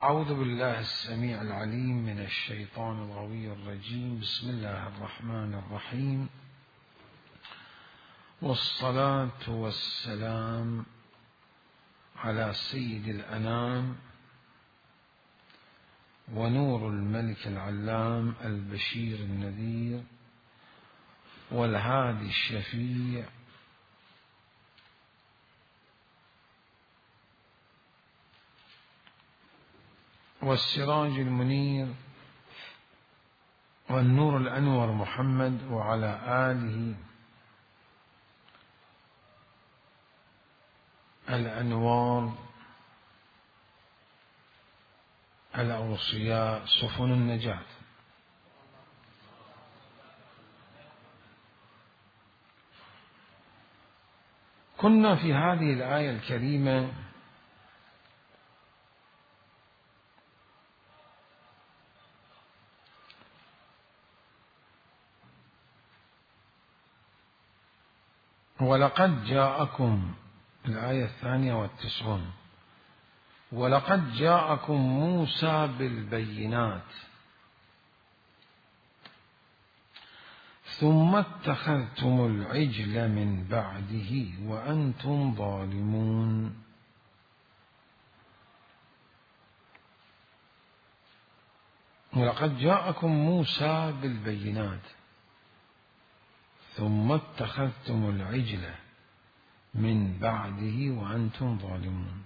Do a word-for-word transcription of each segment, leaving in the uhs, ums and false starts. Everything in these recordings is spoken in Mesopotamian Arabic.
أعوذ بالله السميع العليم من الشيطان الغوي الرجيم. بسم الله الرحمن الرحيم، والصلاة والسلام على سيد الأنام ونور الملك العلام البشير النذير والهادي الشفيع والسراج المنير والنور الأنور محمد وعلى آله الأنوار الأوصياء سفن النجاة. كنا في هذه الآية الكريمة ولقد جاءكم، الآية الثانية والتسعون، ولقد جاءكم موسى بالبينات ثم اتخذتم العجل من بعده وأنتم ظالمون. ولقد جاءكم موسى بالبينات ثم اتخذتم العجل من بعده وأنتم ظالمون.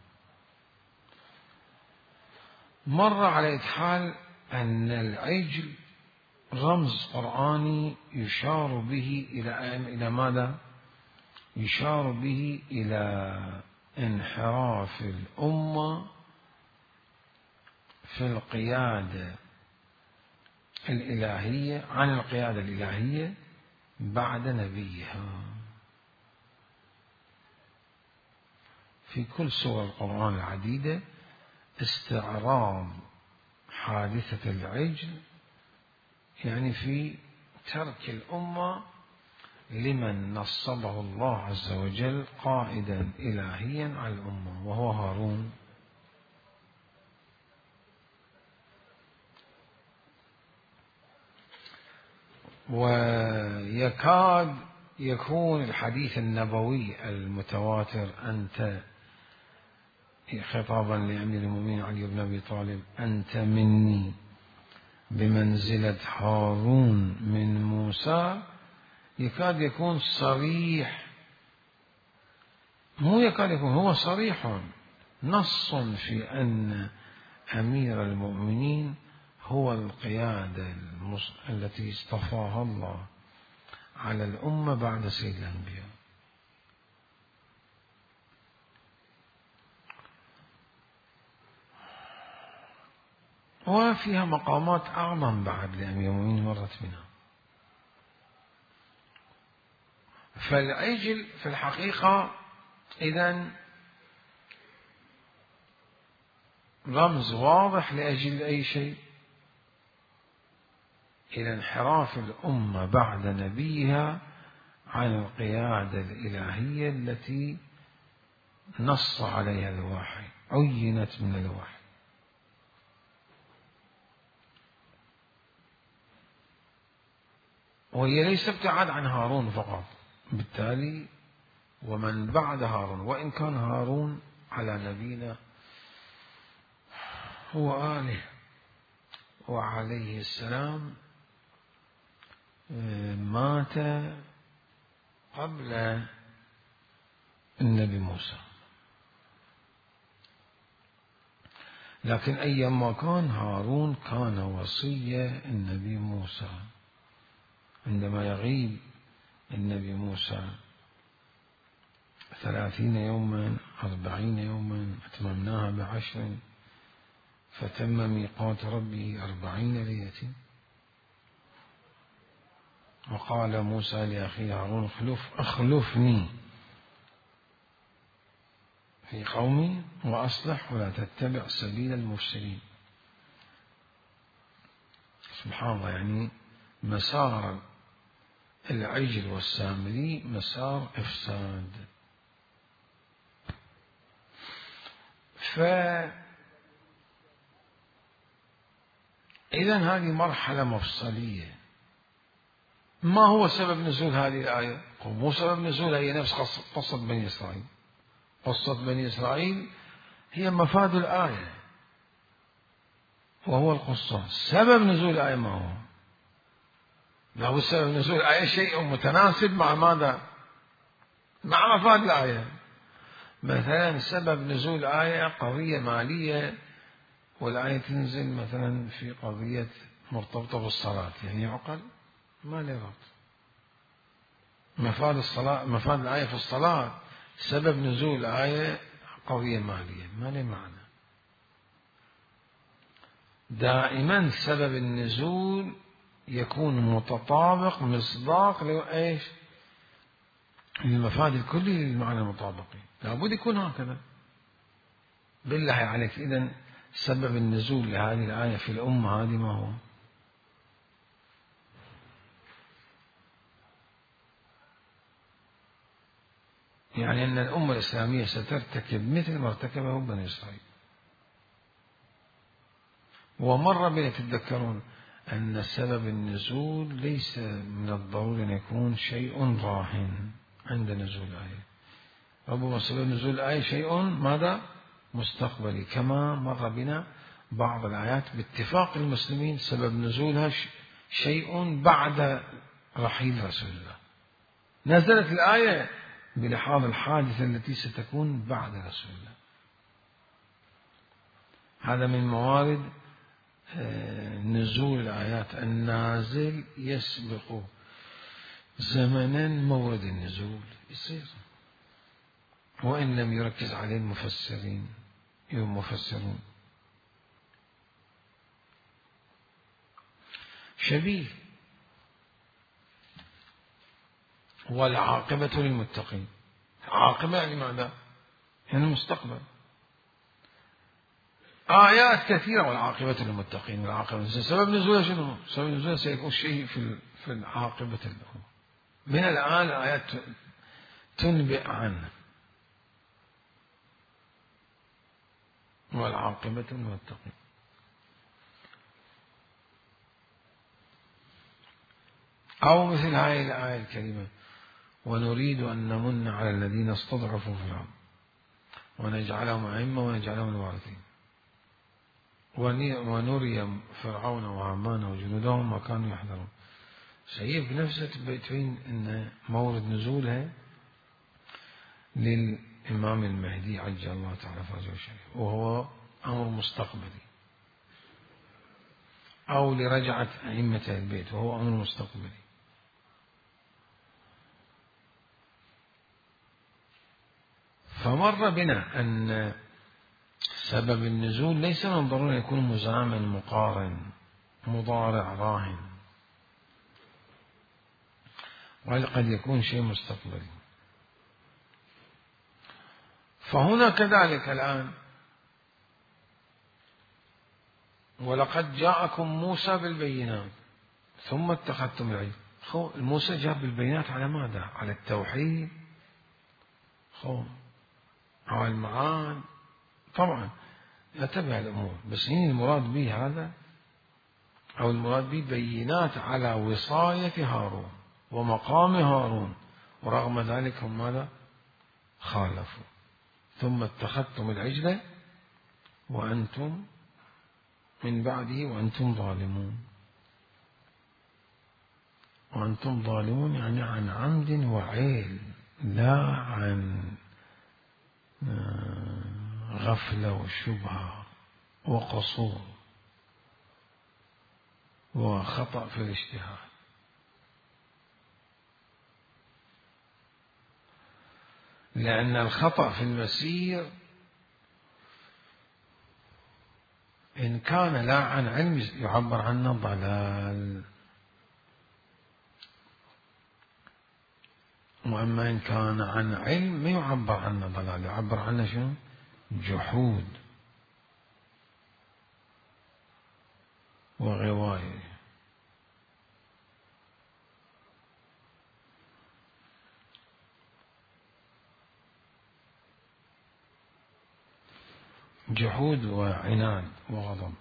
مر على إدحال أن العجل رمز قرآني يشار به إلى إلى ماذا؟ يشار به إلى انحراف الأمة في القيادة الإلهية عن القيادة الإلهية بعد نبيها. في كل سور القرآن العديدة استعراض حادثة العجل، يعني في ترك الأمة لمن نصبه الله عز وجل قائدا إلهيا على الأمة وهو هارون. ويكاد يكون الحديث النبوي المتواتر، أنت خطابا لأمير المؤمنين علي بن أبي طالب، أنت مني بمنزلة هارون من موسى، يكاد يكون صريح، مو يكاد يكون، هو صريح نص في أن أمير المؤمنين هو القيادة التي اصطفاها الله على الأمة بعد سيد الأنبياء. وفيها مقامات أعظم بعد لأمير المؤمنين مرت منها. فالعجل في الحقيقة إذن رمز واضح لأجل أي شيء؟ إلى انحراف الأمة بعد نبيها عن القيادة الإلهية التي نص عليها الوحي، عينت من الوحي. وهي ليس ابتعاد عن هارون فقط، بالتالي ومن بعد هارون، وإن كان هارون على نبينا هو آله وعليه السلام مات قبل النبي موسى، لكن أيما كان هارون كان وصي النبي موسى. عندما يغيب النبي موسى ثلاثين يوما أربعين يوما أتممناها بعشر فتم ميقات ربه أربعين ليلة. وقال موسى لأخيه هارون اخلف أخلفني في قومي وأصلح ولا تتبع سبيل المفسدين. سبحان الله، يعني مسار العجل والسامري مسار إفساد. إذن هذه مرحلة مفصلية. ما هو سبب نزول هذه الآية؟ مو سبب نزولها هي نفس قصة بني إسرائيل. قصة بني إسرائيل هي مفاد الآية وهو القصة. سبب نزول الآية ما هو؟ له سبب نزول الآية شيء متناسب مع ماذا؟ مع مفاد الآية. مثلا سبب نزول الآية قضية مالية، والآية تنزل مثلا في قضية مرتبطة بالصلاة، يعني عقل ما له ربط. مفاد الصلاة، مفاد الآية في الصلاة، سبب نزول الآية قضية مالية ما له معنى. دائما سبب النزول يكون متطابق مصداق لإيش؟ للمفاد الكلي للمعنى المطابقي، لابد يكون هكذا. بالله عليك إذن سبب النزول لهذه الآية في الأمة هذه ما هو؟ يعني أن الأمة الإسلامية سترتكب مثل ما ارتكبه بني إسرائيل. ومرة بنا تتذكرون أن سبب النزول ليس من الضروري أن يكون شيء راهن عند نزول الآية. ربما سبب نزول الآية شيء ماذا؟ مستقبلي، كما مر بنا بعض الآيات باتفاق المسلمين سبب نزولها شيء بعد رحيل رسول الله. نزلت الآية بلحاظ الحادثة التي ستكون بعد رسول الله. هذا من موارد نزول الآيات. النازل يسبق زمنا مورد النزول، يصير وإن لم يركز عليه المفسرين المفسرون. شبيه. والعاقبة للمتقين. عاقبة يعني ماذا؟ يعني المستقبل. آيات كثيرة والعاقبة للمتقين. والعاقبة سبب نزولها شنو؟ سبب نزولها سيكون شيء في في العاقبة له. من الآن الآيات تنبئ عنه. والعاقبة للمتقين. أو مثل هذه الآية الكريمة: ونريد أن نمن على الذين استضعفوا في الأرض ونجعلهم أئمة ونجعلهم الوارثين ونري فرعون وهامان وجنودهم ما كانوا يحذرون. شيء بنفسه تبين أن مورد نزولها للإمام المهدي عجل الله تعالى فرجه الشريف، وهو أمر مستقبلي، أو لرجعة أئمة البيت وهو أمر مستقبلي. فمر بنا أن سبب النزول ليس من ضروري يكون مزامن مقارن مضارع راهن، بل قد يكون شيء مستقبلي. فهنا كذلك الآن: ولقد جاءكم موسى بالبينات ثم اتخذتم العجل. خو موسى جاء بالبينات على ماذا؟ على التوحيد، خو على المعاد. طبعا نتبع الأمور، بس هنا المراد به هذا، أو المراد به بينات على وصاية هارون ومقام هارون، ورغم ذلك هم ماذا؟ خالفوا. ثم اتخذتم العجل وأنتم من بعده وأنتم ظالمون. وأنتم ظالمون يعني عن عمد وعيل، لا عن غفلة وشبهة وقصور وخطأ في الاجتهاد. لأن الخطأ في المسير إن كان لا عن علم يعبر عنه ضلال، وأما إن كان عن علم ما يعبر عنه ضلال، يعبر عنه شنو؟ جحود وغواية. جحود وعناد وغضب.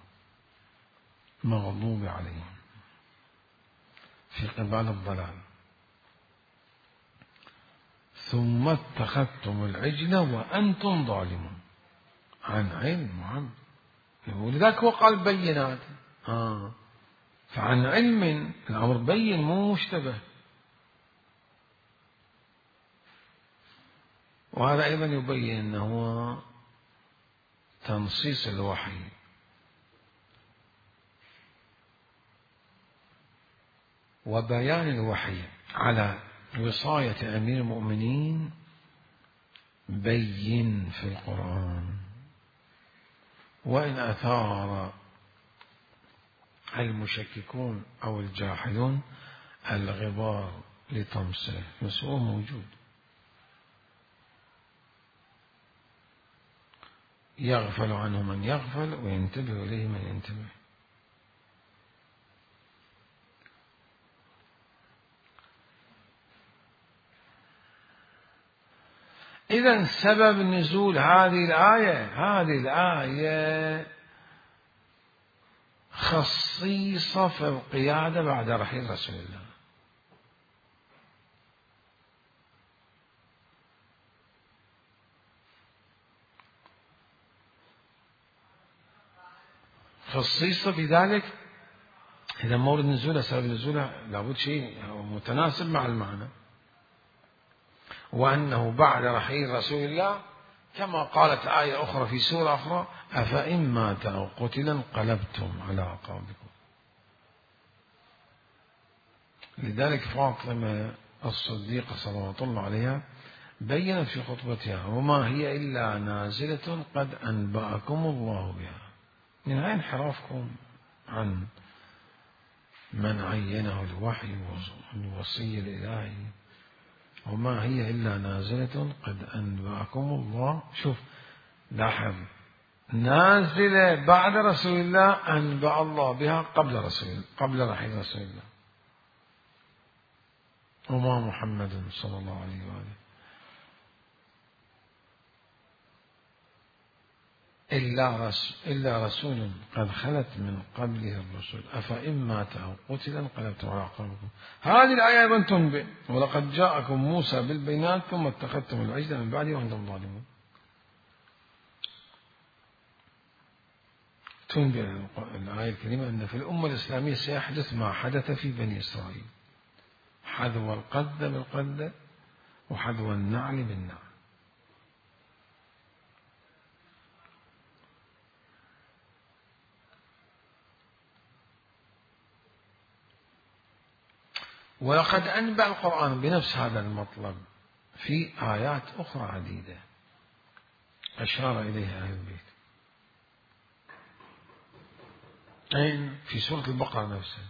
المغضوب عليهم في قبال الضلال. ثم اتخذتم العجل وأنتم ظالمون عن علم وعن، ولذلك هو قال بينات. آه. فعن علم الأمر بين مو مشتبه. وهذا أيضا يبين أنه تنصيص الوحي وبيان الوحي على وصاية أمير المؤمنين بين في القرآن، وإن أثار المشككون أو الجاحدون الغبار لطمسه، بس هو موجود. يغفل عنه من يغفل وينتبه إليه من ينتبه. إذن سبب نزول هذه الآية، هذه الآية خصيصة في القيادة بعد رحيل رسول الله. خصيصة بذلك إذا مورد نزولها سبب نزولها لابد شيء متناسب مع المعنى، وأنه بعد رحيل رسول الله كما قالت آية أخرى في سورة أخرى: أفإن مات أو قتل انقلبتم على أعقابكم. لذلك فاطمة الصديقة صلوات الله عليها بينت في خطبتها: وما هي إلا نازلة قد أنبأكم الله بها. من أين انحرافكم عن من عينه الوحي والوصي الإلهي؟ وما هي إلا نازلة قد أنبأكم الله. شوف لاحظ، نازلة بعد رسول الله أنبأ الله بها قبل رسول قبل رحيل رسول الله. وما محمد صلى الله عليه وآله إلا رسول, إلا رسول قد خلت من قبله الرسل أفإن مات أو قتل انقلبتم على أعقابكم. هذه الآية أيضا تنبئ: ولقد جاءكم موسى بالبينات ثم اتخذتم العجل من بعده وأنتم ظالمون. تنبئ الآية الكريمة أن في الأمة الإسلامية سيحدث ما حدث في بني إسرائيل: حذو القذة بالقذة وحذو النعل بالنعل. ولقد أنبأ القرآن بنفس هذا المطلب في آيات أخرى عديدة أشار إليها أهل البيت. أين؟ في سورة البقرة نفسها،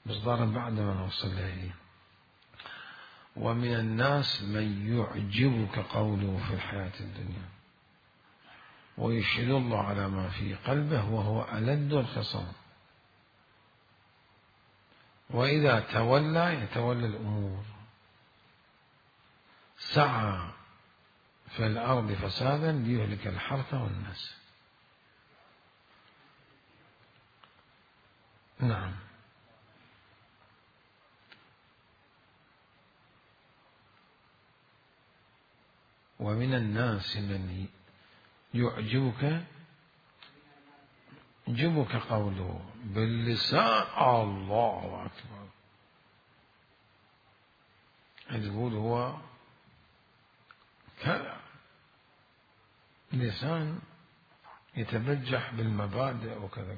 مصدارا بعد ما نوصل إليه: ومن الناس من يعجبك قوله في الحياة الدنيا ويشهد الله على ما في قلبه وهو ألد الخصام وإذا تولى يتولى الأمور سعى في الأرض فسادا ليهلك الحرث والنسل. نعم. ومن الناس من يعجبك يعجبك قوله باللسان الله أكبر، تقول هو كذا، لسان يتبجح بالمبادئ وكذا.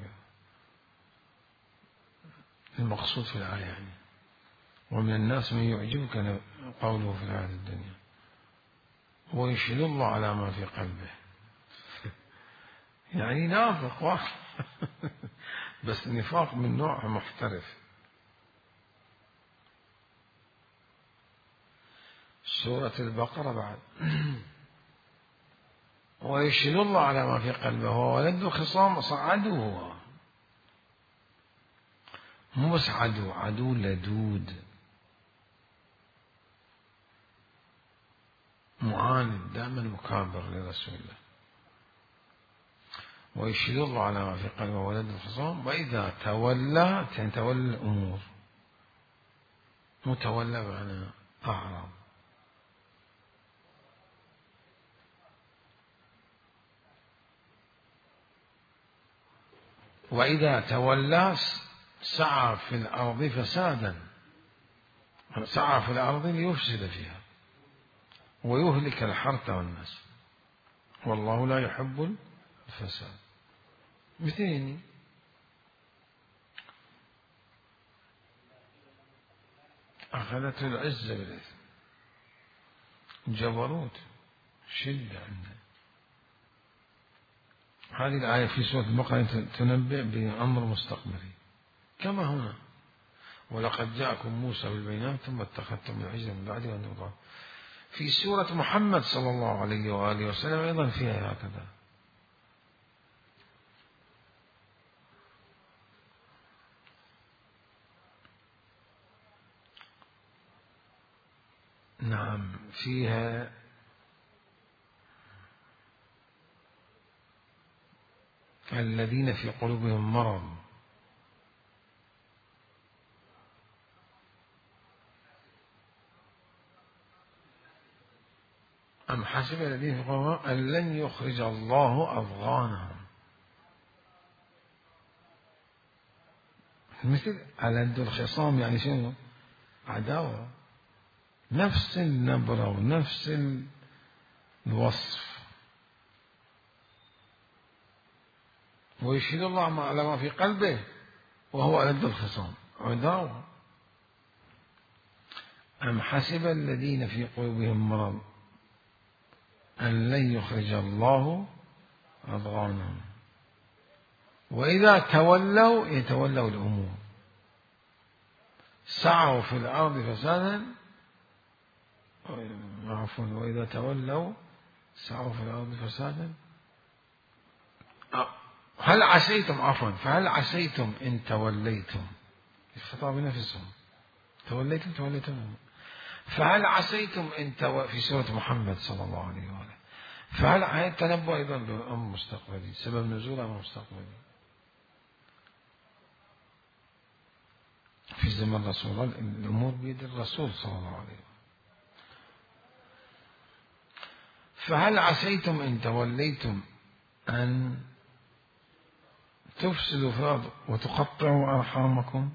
المقصود في الآية يعني ومن الناس من يعجبك قوله في الحياة الدنيا ويشهد الله على ما في قلبه. يعني نافق واحد بس نفاق من نوع محترف. سورة البقرة بعد ويشهد الله على ما في قلبه وولد خصام صعدوا، هو مو بس عدو، عدو لدود معاند دائما مكابر لرسول الله. ويشهد الله على ما في قلبه ولد الخصام. وإذا تولى يعني تولى الأمور، متولى بمعنى أعرض. وإذا تولى سعى في الأرض فسادا، سعى في الأرض ليفسد فيها ويهلك الحرث والنسل، والله لا يحب الفساد. مثلين أخذته العزة بالإثم، جبروت، شدة عنده. هذه الآية في سورة البقرة تنبئ بأمر مستقبلي كما هنا: ولقد جاءكم موسى بالبينات ثم اتخذتم العجل من بعده وأنتم ظالمون. في سورة محمد صلى الله عليه وآله وسلم أيضا فيها هكذا. نعم فيها الذين في قلوبهم مرض أم حسب الذين في قلوبهم أن لن يخرج الله أضغانهم. مثل ألد الخصام يعني شنو؟ عداوة، نفس النبرة ونفس الوصف. ويشهد الله على ما في قلبه وهو ألد الخصام، عداوة. أم حسب الذين في قلوبهم مرض أن لن يخرج الله أضغانهم. وإذا تولوا يتولوا الأمور، سعوا في الأرض فسادا، عفوا وإذا تولوا سعوا في الأرض فسادا. هل عسيتم عفوا فهل عسيتم إن توليتم، الخطاب نفسهم، توليتم توليتم فهل عسيتم إن تو... في سورة محمد صلى الله عليه وآله. فهل هذا تنبؤ أيضا بأمر مستقبلي، سبب نزول أمر مستقبلي في زمن رسول الله. الأمور بيد الرسول صلى الله عليه وسلم. فهل عسيتم إن توليتم أن تفسدوا في الأرض وتقطعوا أرحامكم.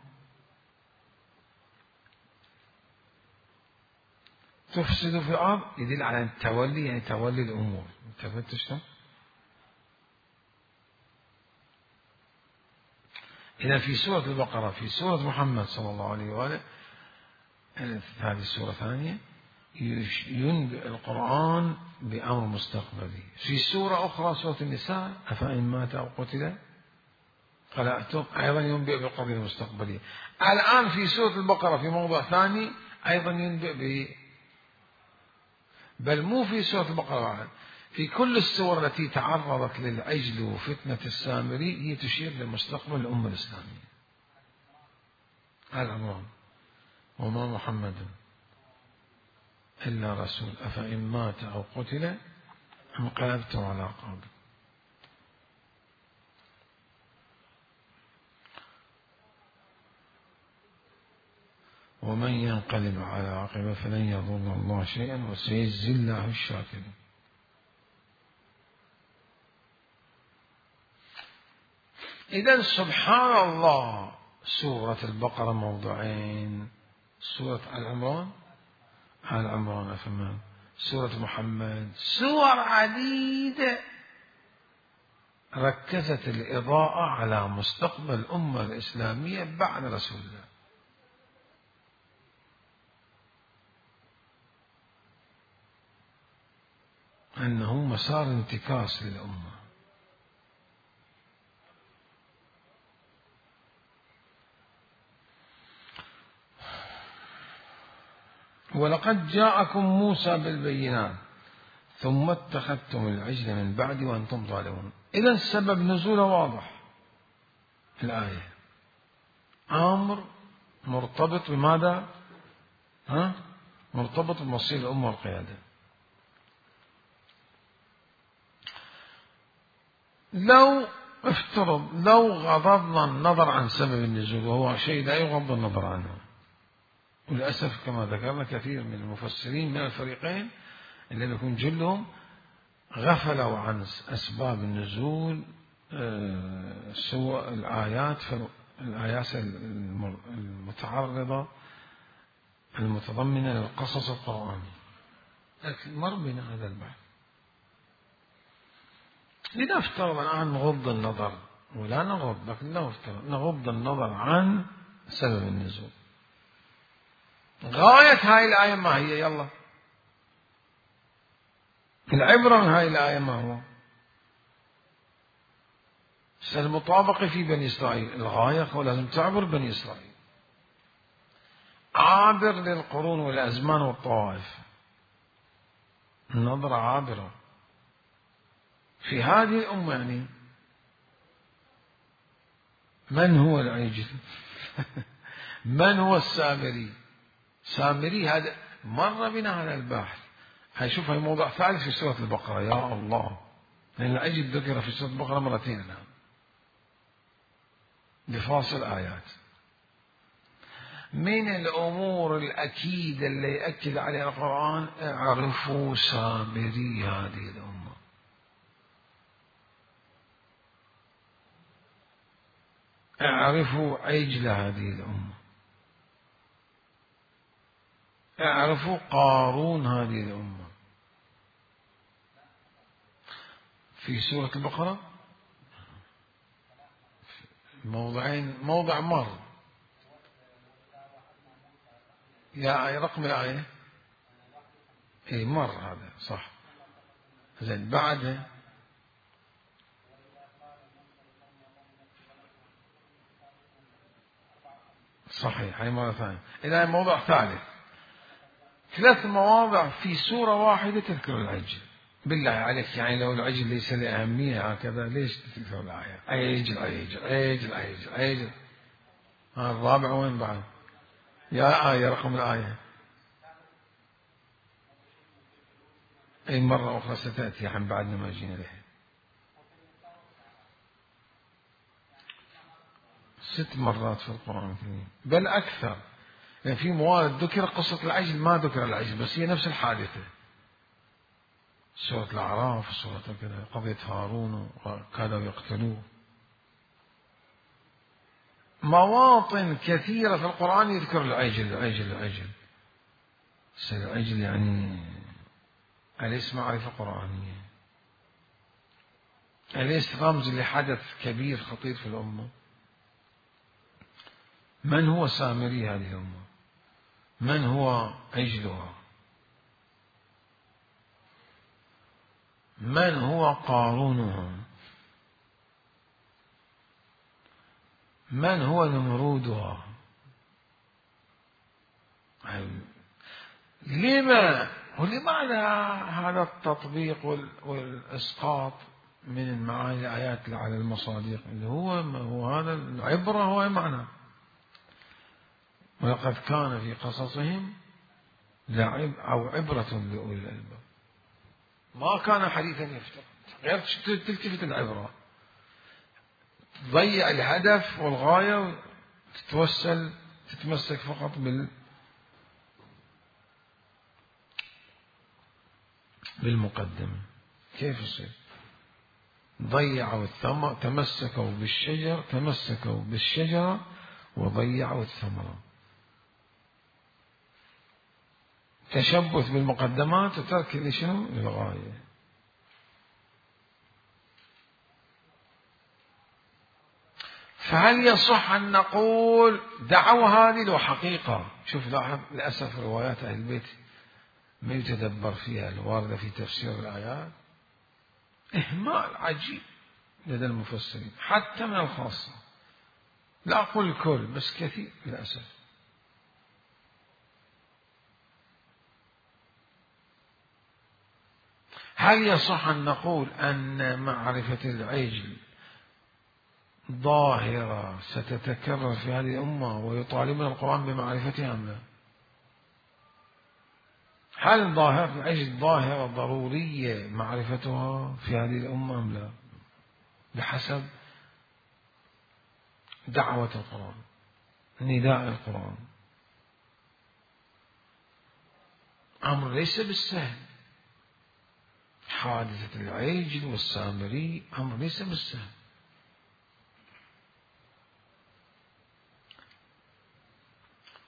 تفسدوا في الأرض يدل على التولي، يعني تولي الأمور. تفتش ده إذا في سورة البقرة، في سورة محمد صلى الله عليه وآله، هذه السورة الثانية ينبئ القرآن بأمر مستقبلي. في سورة أخرى سورة النساء أفإن مات أو قتل قلأتم، أيضا ينبئ بالقضية المستقبلية. الآن في سورة البقرة في موضوع ثاني أيضا ينبئ ب بل مو في سورة البقرة، في كل السور التي تعرضت للعجل وفتنة السامري هي تشير لمستقبل الأمة الإسلامية. العنوان: وما محمد إلا رسول أفإن مات أو قتل انقلبتم على أعقابكم. ومن ينقلب على عقبه فلن يضر الله شيئا وسيجزي الله الشاكرين. إذن سبحان الله، سورة البقرة موضوعين: سورة آل عمران آل عمران أفهمان، سورة محمد، سور عديدة ركزت الإضاءة على مستقبل الأمة الإسلامية بعد رسول الله. أنه مسار انتكاس للأمة. ولقد جاءكم موسى بالبينات ثم اتخذتم العجل من بعد وأنتم ظالمون. إذن سبب نزوله واضح في الآية، أمر مرتبط بماذا؟ ها؟ مرتبط بمصير الأمة والقيادة. لو افترض لو غضضنا النظر عن سبب النزول، وهو شيء لا يغض النظر عنه، وللأسف كما ذكرنا كثير من المفسرين من الفريقين اللي يكون جلهم غفلوا عن أسباب النزول، سوى الآيات الآيات المتعرضة المتضمنة للقصص القرآني، لكن مر بنا هذا البحث. لنفترض الآن نغض النظر، ولا نغض لكن نفترض نغض النظر عن سبب النزول. غاية هاي الآية ما هي؟ يلا العبرة من هاي الآية ما هو؟ المطابقة في بني إسرائيل، الغاية هو لازم تعبر بني إسرائيل، عابر للقرون والأزمان والطوائف، النظرة عابرة في هذه الأمة. يعني من هو العجل؟ من هو السامري؟ سامري هذا مر بنا هذا البحث. هاي شوف هاي موضوع ثالث في سورة البقرة، يا الله، لأن العجل ذكر في سورة البقرة مرتين الآن بفاصل آيات. من الأمور الأكيدة اللي يأكد عليها القرآن، اعرفوا سامري هذه الأمة، اعرفوا عجل هذه الأمة، اعرفوا قارون هذه الأمة. في سورة البقرة موضعين، موضع مر، يا رقم الآية اي مر هذا صح. زين بعده صحيح، هاي مرة ثانية. إذا موضع ثالث، ثلاث مواضع في سورة واحدة تذكر العجل. بالله عليك يعني لو العجل ليس له أهمية هكذا ليش تذكر الآية؟ عجل عجل عجل عجل عجل. ها الرابع وين بعد؟ يا آية رقم الآية. أي مرة أخرى ستأتي عن بعد ما جينا لها. ست مرات في القرآن الكريم بل أكثر، يعني في موارد ذكر قصة العجل ما ذكر العجل، بس هي نفس الحادثة. سورة الأعراف، سورة كذا، قضية هارون وكادوا يقتلوه. مواطن كثيرة في القرآن يذكر العجل العجل العجل. العجل يعني أليس معرفة قرآنية؟ أليس رمز لحدث كبير خطير في الأمة؟ من هو سامري هذه الأمة؟ من هو عجلها؟ من هو قارونها؟ من هو نمرودها؟ لما ولماذا هذا التطبيق والإسقاط من المعاني الآيات على المصادق اللي هو هو هذا العبرة، هو معنى ولقد كان في قصصهم لعب أو عبرة لأولي الألباب. ما كان حديثا يفترض، غير تلتفت العبرة، تضيع الهدف والغاية وتتوسل تتمسك فقط بال بالمقدمة. كيف يصير؟ ضيعوا الثمر، تمسكوا بالشجر تمسكوا بالشجرة وضيعوا الثمرة. تشبث بالمقدمات وترك لشنو؟ للغاية. فهل يصح أن نقول دعوا هذه لو حقيقة؟ شوف لاحظ للأسف روايات أهل البيت ما يتدبر فيها الواردة في تفسير الآيات، إهمال عجيب لدى المفسرين حتى من الخاصة، لا أقول الكل بس كثير للأسف. هل يصح أن نقول أن معرفة العجل ظاهرة ستتكرر في هذه الأمة ويطالبنا القرآن بمعرفتها أم لا؟ هل ظاهرة العجل ظاهرة ضرورية معرفتها في هذه الأمة أم لا؟ بحسب دعوة القرآن، نداء القرآن. أمر ليس بالسهل، حادثة العجل والسامري أمر ليس بالسهل.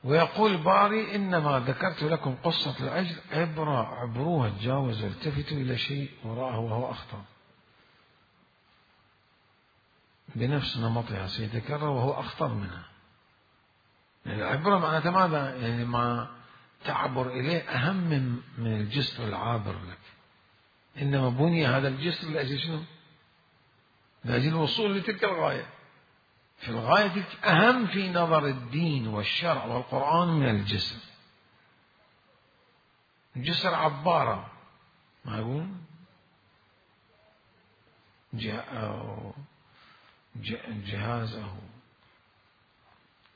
ويقول الباري: إنما ذكرت لكم قصة العجل عبرة، عبروها، تجاوزوا، التفتوا إلى شيء وراءه وهو أخطر، بنفس نمطها سيتكرر وهو أخطر منها. يعني العبرة معناتها ماذا؟ يعني ما تعبر إليه أهم من من الجسر العابر لك. إنما بني هذا الجسر لأجل شنو؟ لأجل الوصول لتلك الغاية. في الغاية تلك أهم في نظر الدين والشرع والقرآن من الجسر. الجسر عبارة، ما يقول جهازه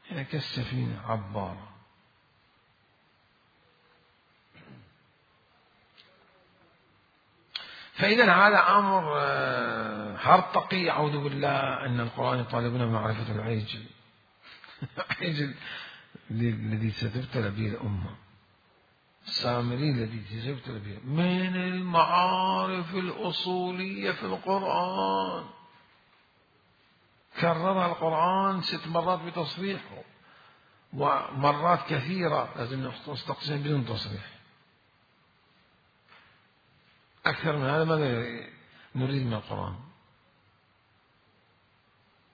يعني كالسفينة عبارة. فإذا هذا أمر هرطقي، أعوذ بالله، أن القرآن يطالبنا بمعرفة العجل العجل الذي ستبتلى به الأمة، السامري الذي ستبتلى به، من المعارف الأصولية في القرآن، كررها القرآن ست مرات بتصريحه، ومرات كثيرة لازم نستقسم بدون تصريح. أكثر من هذا ماذا نريد من القرآن؟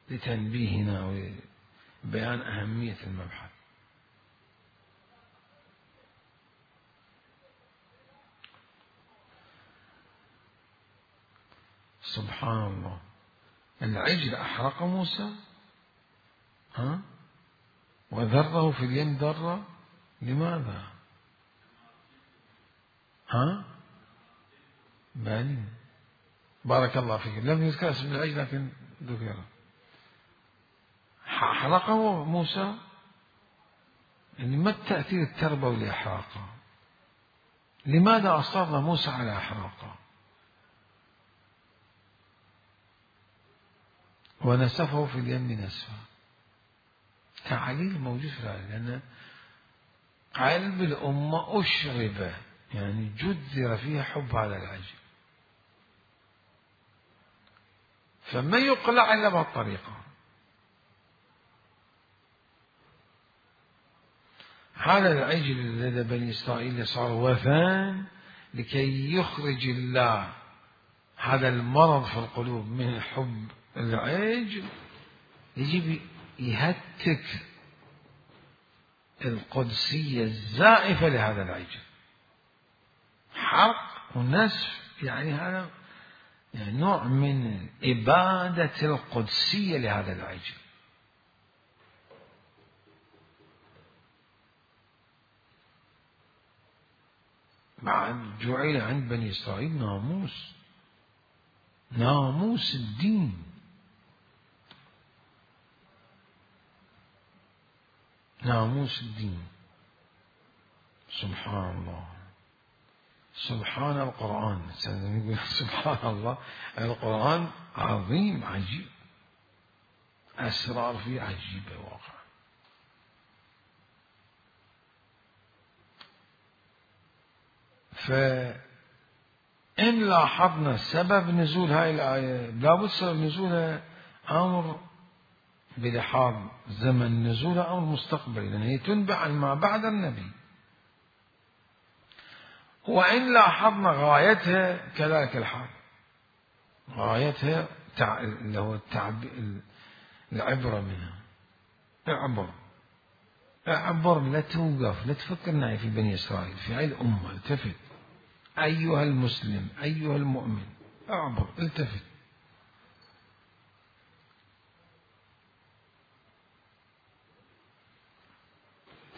لتنبيهنا وبيان أهمية المبحث. سبحان الله، العجل أحرق موسى، ها؟ وذره في اليم ذرة، لماذا؟ ها؟ بل بارك الله فيك، لم يذكر اسم العجل لكن ذكر. حرقه موسى، يعني ما التأثير التربوي لإحراقه؟ لماذا أصر موسى على إحراقه ونسفه في اليم نسفا؟ تعليل موجود في الآية، لأن قلب الأمة أشرب، يعني جذر فيها حب هذا العجل، فما يقلع إلا بهالطريقة. هذا العجل لدى بني إسرائيل صار وثن لكي يخرج الله هذا المرض في القلوب من حب العجل، يجب يهتك القدسية الزائفة لهذا العجل، حرق ونسف، يعني هذا يعني نوع من إبادة القدسية لهذا العجل. بعد جعل عند بني إسرائيل ناموس، ناموس الدين، ناموس الدين. سبحان الله، سبحان القرآن، سبحان الله، القرآن عظيم عجيب، أسرار فيه عجيبة واقع. فإن لاحظنا سبب نزول هاي الآية، لابد سبب نزولها أمر بلحاظ زمن نزولها أمر مستقبلي، لأن هي تنبع عن ما بعد النبي. وإن لاحظنا غايتها كذلك الحال، غايتها اللي هو العبرة منها، اعبر اعبر، لا توقف، لا تفكرنا في بني إسرائيل، في هاي الأمة، التفت أيها المسلم، أيها المؤمن، اعبر، التفت.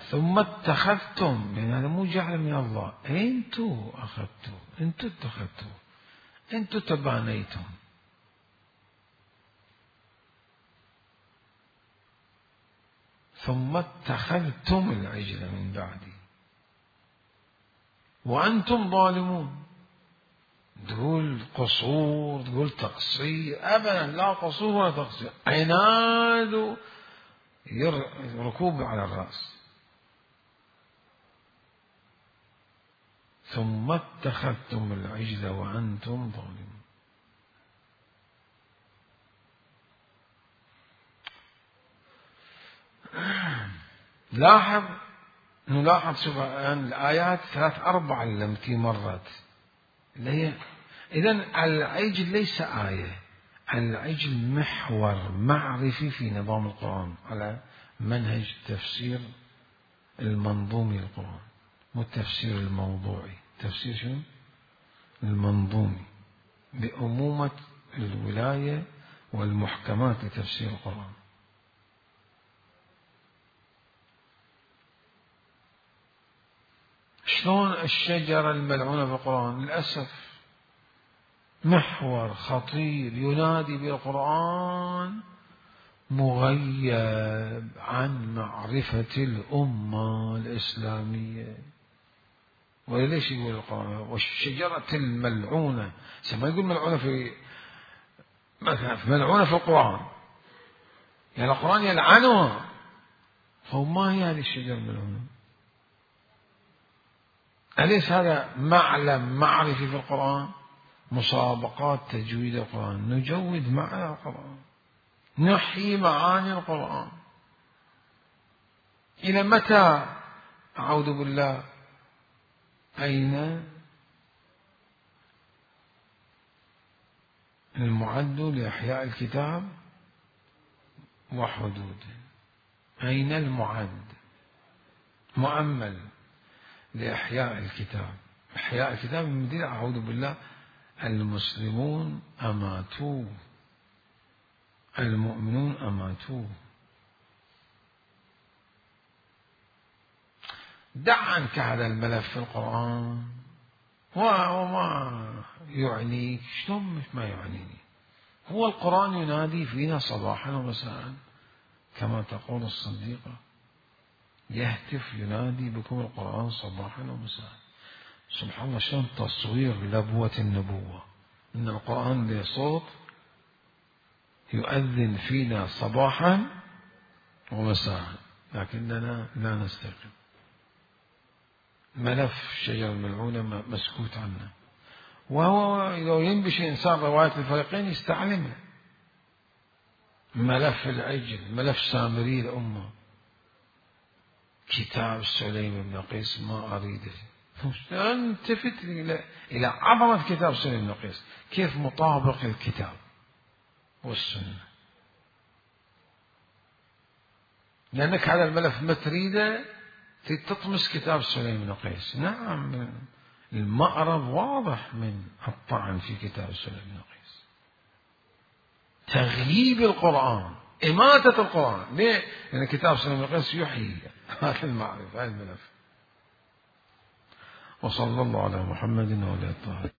ثم اتخذتم، يعني هذا مو جعل من الله، انتوا اخذتوا، انتوا اتخذتوا، انتوا تبانيتم. ثم اتخذتم العجل من بعدي وأنتم ظالمون، تقول قصور، تقول تقصير، أبدا لا قصور ولا تقصير، عناد ركوب على الرأس. ثم اتخذتم العجل وأنتم ظالمون. لاحظ نلاحظ شوف الآن الآيات ثلاث أربع التي مرت اللي هي إذن العجل ليس آية، العجل محور معرفي في نظام القرآن على منهج التفسير المنظومي للقرآن، مو التفسير الموضوعي، تفسير شنو؟ المنظومي بأمومة الولاية والمحكمات لتفسير القرآن. شلون الشجرة الملعونة في القرآن للأسف محور خطير ينادي بالقرآن مغيب عن معرفة الأمة الإسلامية. وليش يقول القرآن والشجرة الملعونة؟ ما يقول ملعونة في مثلا ملعونة في القرآن، يعني القرآن يلعنها، فما هي هذه الشجرة الملعونة؟ أليس هذا معلم معرفي في القرآن؟ مسابقات تجويد القرآن، نجود معنى القرآن، نحيي معاني القرآن. إلى متى؟ أعوذ بالله. أين المعد لإحياء الكتاب وحدوده؟ أين المعد مؤمل لإحياء الكتاب؟ إحياء الكتاب من مدينة أعوذ بالله. المسلمون أماتوه، المؤمنون أماتوه. دع عنك هذا الملف في القرآن وما يعنيك. شلون مش ما يعنيني؟ هو القرآن ينادي فينا صباحا ومساء كما تقول الصديقة، يهتف ينادي بكم القرآن صباحا ومساء. سبحان الله، شلون تصوير لبوة النبوة إن القرآن له صوت يؤذن فينا صباحا ومساء، لكننا لا نستيقظ. ملف الشجرة الملعونة مسكوت عنه، وهو لو ينبش إنسان رواية الفريقين يستعلمه. ملف العجل، ملف سامري الأمة، كتاب سليم بن قيس ما أريده. التفت إلى إلى عظمة كتاب سليم بن قيس، كيف مطابق الكتاب والسنة. لأنك هذا الملف ما تريده تطمس كتاب سليم بن قيس. نعم، المأرب واضح من الطعن في كتاب سليم بن قيس، تغييب القرآن، إماتة القرآن. ليه؟ لأن كتاب سليم بن قيس يحيي هذا المعرفة، هذا الملف. وصلى الله على محمد وعلى آله.